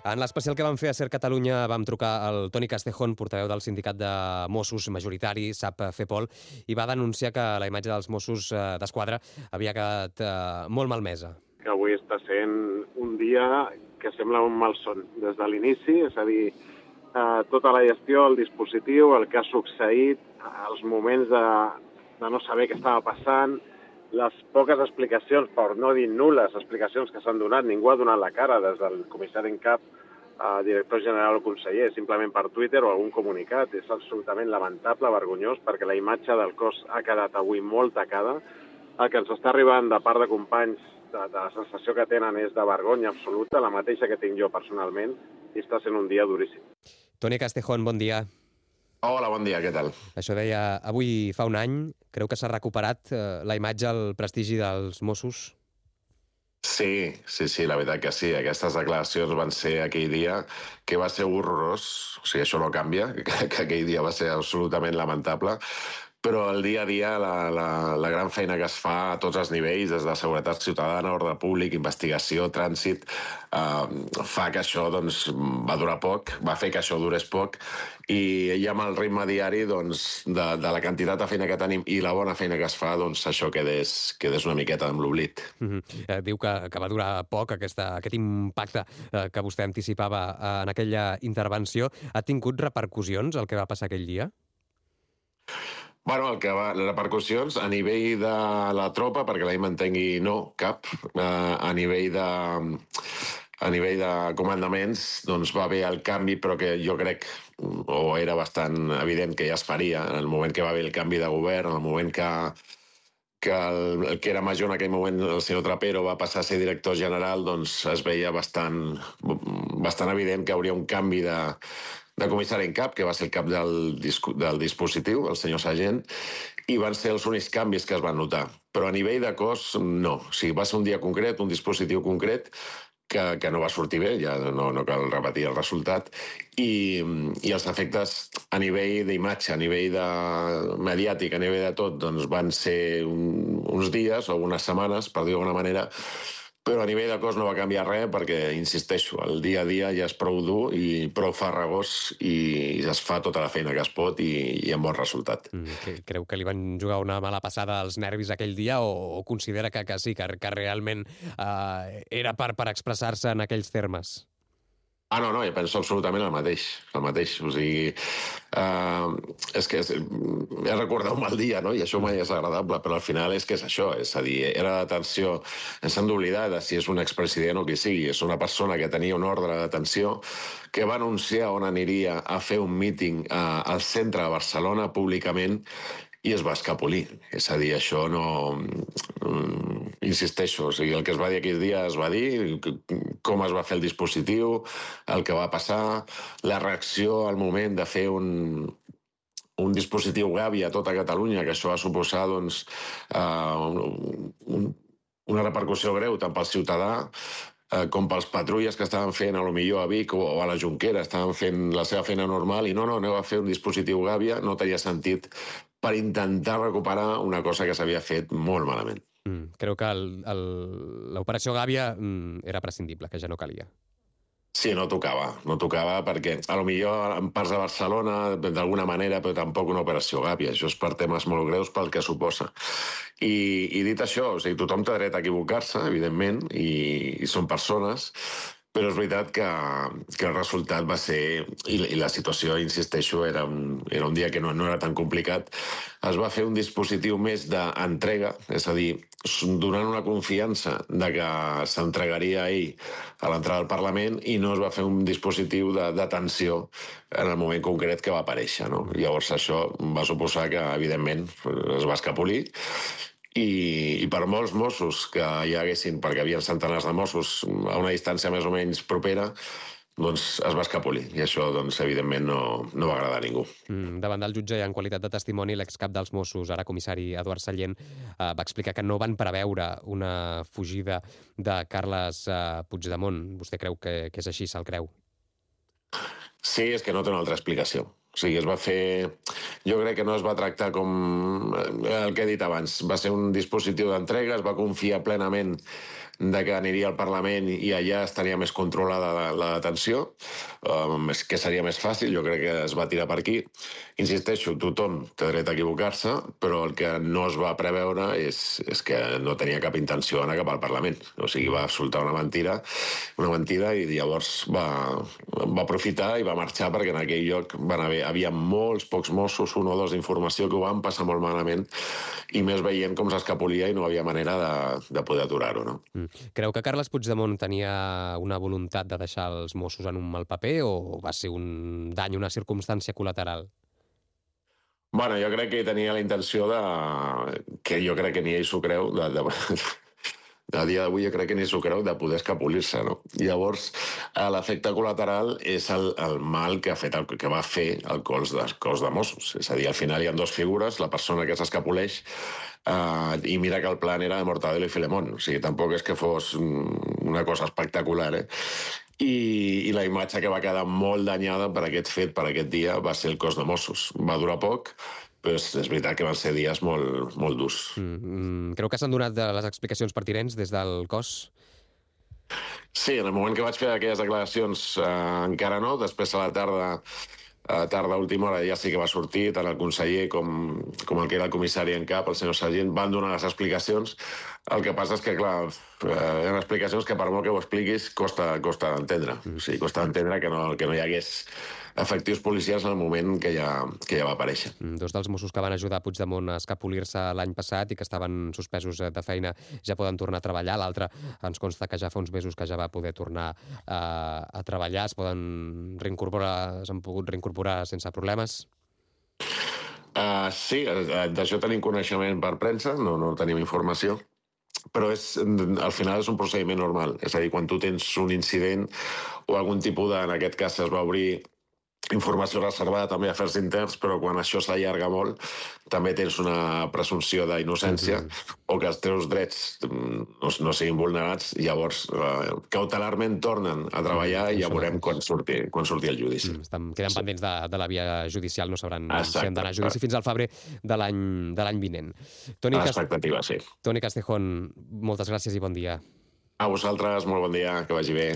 En l'especial que vam fer a Ser Catalunya vam trucar al Toni Castejón, portaveu del sindicat de Mossos majoritari, SAP FEPOL, i va denunciar que la imatge dels Mossos d'Esquadra havia quedat molt malmesa. Que avui està sent un dia que sembla un malson des de l'inici, és a dir, tota la gestió, el dispositiu, el que ha succeït, els moments de no saber què estava passant, les poques explicacions, per no dir nul·les explicacions que s'han donat, ningú ha donat la cara des del comissari en cap, director general o conseller, simplement per Twitter o algun comunicat. És absolutament lamentable, vergonyós, perquè la imatge del cos ha quedat avui molt tacada. El que ens està arribant de part de companys de la sensació que tenen és de vergonya absoluta, la mateixa que tinc jo personalment, i està sent un dia duríssim. Toni Castejón, bon dia. Hola, bon dia, què tal? Això deia, avui fa un any, creu que s'ha recuperat la imatge, el prestigi dels Mossos? Sí, la veritat que sí. Aquestes declaracions van ser aquell dia que va ser horrorós, o sigui, això no canvia, que aquell dia va ser absolutament lamentable, però el dia a dia, la gran feina que es fa a tots els nivells, des de seguretat ciutadana, ordre públic, investigació, trànsit, fa que això doncs, va durar poc, va fer que això durés poc, i amb el ritme diari doncs, de la quantitat de feina que tenim i la bona feina que es fa, doncs això quedés una miqueta amb l'oblit. Diu que va durar poc aquest impacte que vostè anticipava en aquella intervenció. Ha tingut repercussions el que va passar aquell dia? Bueno, les repercussions a nivell de la tropa, perquè la m'entengui, no, cap. A nivell de comandaments, doncs va haver el canvi, però que jo crec, o era bastant evident que ja es faria, en el moment que va haver el canvi de govern, en el moment que el que era major en aquell moment, el senyor Trapero, va passar a ser director general, doncs es veia bastant evident que hauria un canvi de comissari en cap, que va ser el cap del dispositiu, el senyor Sargent, i van ser els únics canvis que es van notar. Però a nivell de cos, no. O sigui, va ser un dia concret, un dispositiu concret, que no va sortir bé, ja no cal repetir el resultat, i els efectes a nivell d'imatge, a nivell mediàtic, a nivell de tot, doncs van ser uns dies o unes setmanes, per dir-ho d'alguna manera, però a nivell de cos no va canviar res perquè, insisteixo, el dia a dia ja és prou dur i prou farragós i es fa tota la feina que es pot i amb bon resultat. Creu que li van jugar una mala passada als nervis aquell dia o considera que sí, que realment era per expressar-se en aquells termes? No, jo penso absolutament el mateix. O sigui, és que he recordat un mal dia, no? I això mai és agradable, però al final és que és això, és a dir, era la detenció, ens hem d'oblidar de si és un expresident o qui sigui, és una persona que tenia un ordre de detenció que va anunciar on aniria a fer un míting al centre de Barcelona públicament i es va escapolir. És a dir, això no... Insisteixo, o sigui, el que es va dir aquell dia es va dir, com es va fer el dispositiu, el que va passar, la reacció al moment de fer un dispositiu Gavi a tota Catalunya, que això va suposar doncs, una repercussió greu tant pel ciutadà com pels patrulles que estaven fent potser a Vic o a la Jonquera, estaven fent la seva feina normal i no, aneu a fer un dispositiu Gàbia, no tenia sentit per intentar recuperar una cosa que s'havia fet molt malament. Creu que l'operació Gàbia era prescindible, que ja no calia. Sí, no tocava perquè potser en parts de Barcelona d'alguna manera, però tampoc una operació Gàbia. Això és per temes molt greus pel que suposa. I dit això, o sigui, tothom té dret a equivocar-se, evidentment, i són persones, però és veritat que el resultat va ser, i la situació, insisteixo, era un dia que no era tan complicat, es va fer un dispositiu més d'entrega, és a dir, donant una confiança de que s'entregaria ahir a l'entrada del Parlament i no es va fer un dispositiu de detenció en el moment concret que va aparèixer. No? Llavors això va suposar que, evidentment, es va escapolir i per molts Mossos que hi haguessin, perquè hi havia centenars de Mossos a una distància més o menys propera, doncs es va escapolir. I això, doncs, evidentment, no va agradar a ningú. Davant del jutge i en qualitat de testimoni, l'excap dels Mossos, ara comissari Eduard Sallent, va explicar que no van preveure una fugida de Carles Puigdemont. Vostè creu que és així, se'l creu? Sí, és que no té una altra explicació. O sigui, es va fer... Jo crec que no es va tractar com el que he dit abans. Va ser un dispositiu d'entrega, es va confiar plenament que aniria al Parlament i allà estaria més controlada la detenció, que seria més fàcil, jo crec que es va tirar per aquí. Insisteixo, tothom té dret a equivocar-se, però el que no es va preveure és que no tenia cap intenció d'anar cap al Parlament. O sigui, va soltar una mentida i llavors va aprofitar i va marxar perquè en aquell lloc havia molts pocs Mossos, un o dos d'informació que ho van passar molt malament i més veient com s'escapolia i no havia manera de poder aturar-ho, no? Creu que Carles Puigdemont tenia una voluntat de deixar els Mossos en un mal paper o va ser un dany, una circumstància col·lateral? Bueno, jo crec que tenia la intenció que jo crec que ni ell s'ho creu, a dia d'avui jo crec que ni s'ho creu, de poder escapolir-se, no? Llavors, l'efecte col·lateral és el mal que va fer el cos de Mossos. És a dir, al final hi ha dues figures, la persona que s'escapoleix i mira que el plan era de Mortadelo i Filemón. O sigui, tampoc és que fos una cosa espectacular, I la imatge que va quedar molt danyada per aquest fet, per aquest dia, va ser el cos de Mossos. Va durar poc, però és veritat que van ser dies molt, molt durs. Creu que s'han donat les explicacions pertinents des del cos? Sí, en el moment que vaig fer aquelles declaracions encara no, després a la tarda, a última hora, ja sí que va sortir, tant el conseller com el que era el comissari en cap, el senyor Sargent, van donar les explicacions. El que passa és que, clar, hi ha explicacions que per molt que ho expliquis costa d'entendre. O sigui, costa d'entendre que no hi hagués efectius policials en el moment que ja va aparèixer. Dos dels Mossos que van ajudar Puigdemont a escapolir-se l'any passat i que estaven suspesos de feina ja poden tornar a treballar. L'altre ens consta que ja fa uns mesos que ja va poder tornar a treballar. S'han pogut reincorporar sense problemes? Sí, d'això tenim coneixement per premsa, no tenim informació, però al final és un procediment normal. És a dir, quan tu tens un incident o algun tipus en aquest cas es va obrir informació reservada també a afers interns, però quan això s'allarga molt també tens una presumpció d'innocència o que els teus drets no siguin vulnerats, llavors cautelarment tornen a treballar i ja veurem quan surti el judici. Queden pendents de la via judicial, no sabran si han d'anar a judici fins al febrer de l'any vinent. L'expectativa, sí. Toni Castejón, moltes gràcies i bon dia. A vosaltres, molt bon dia, que vagi bé.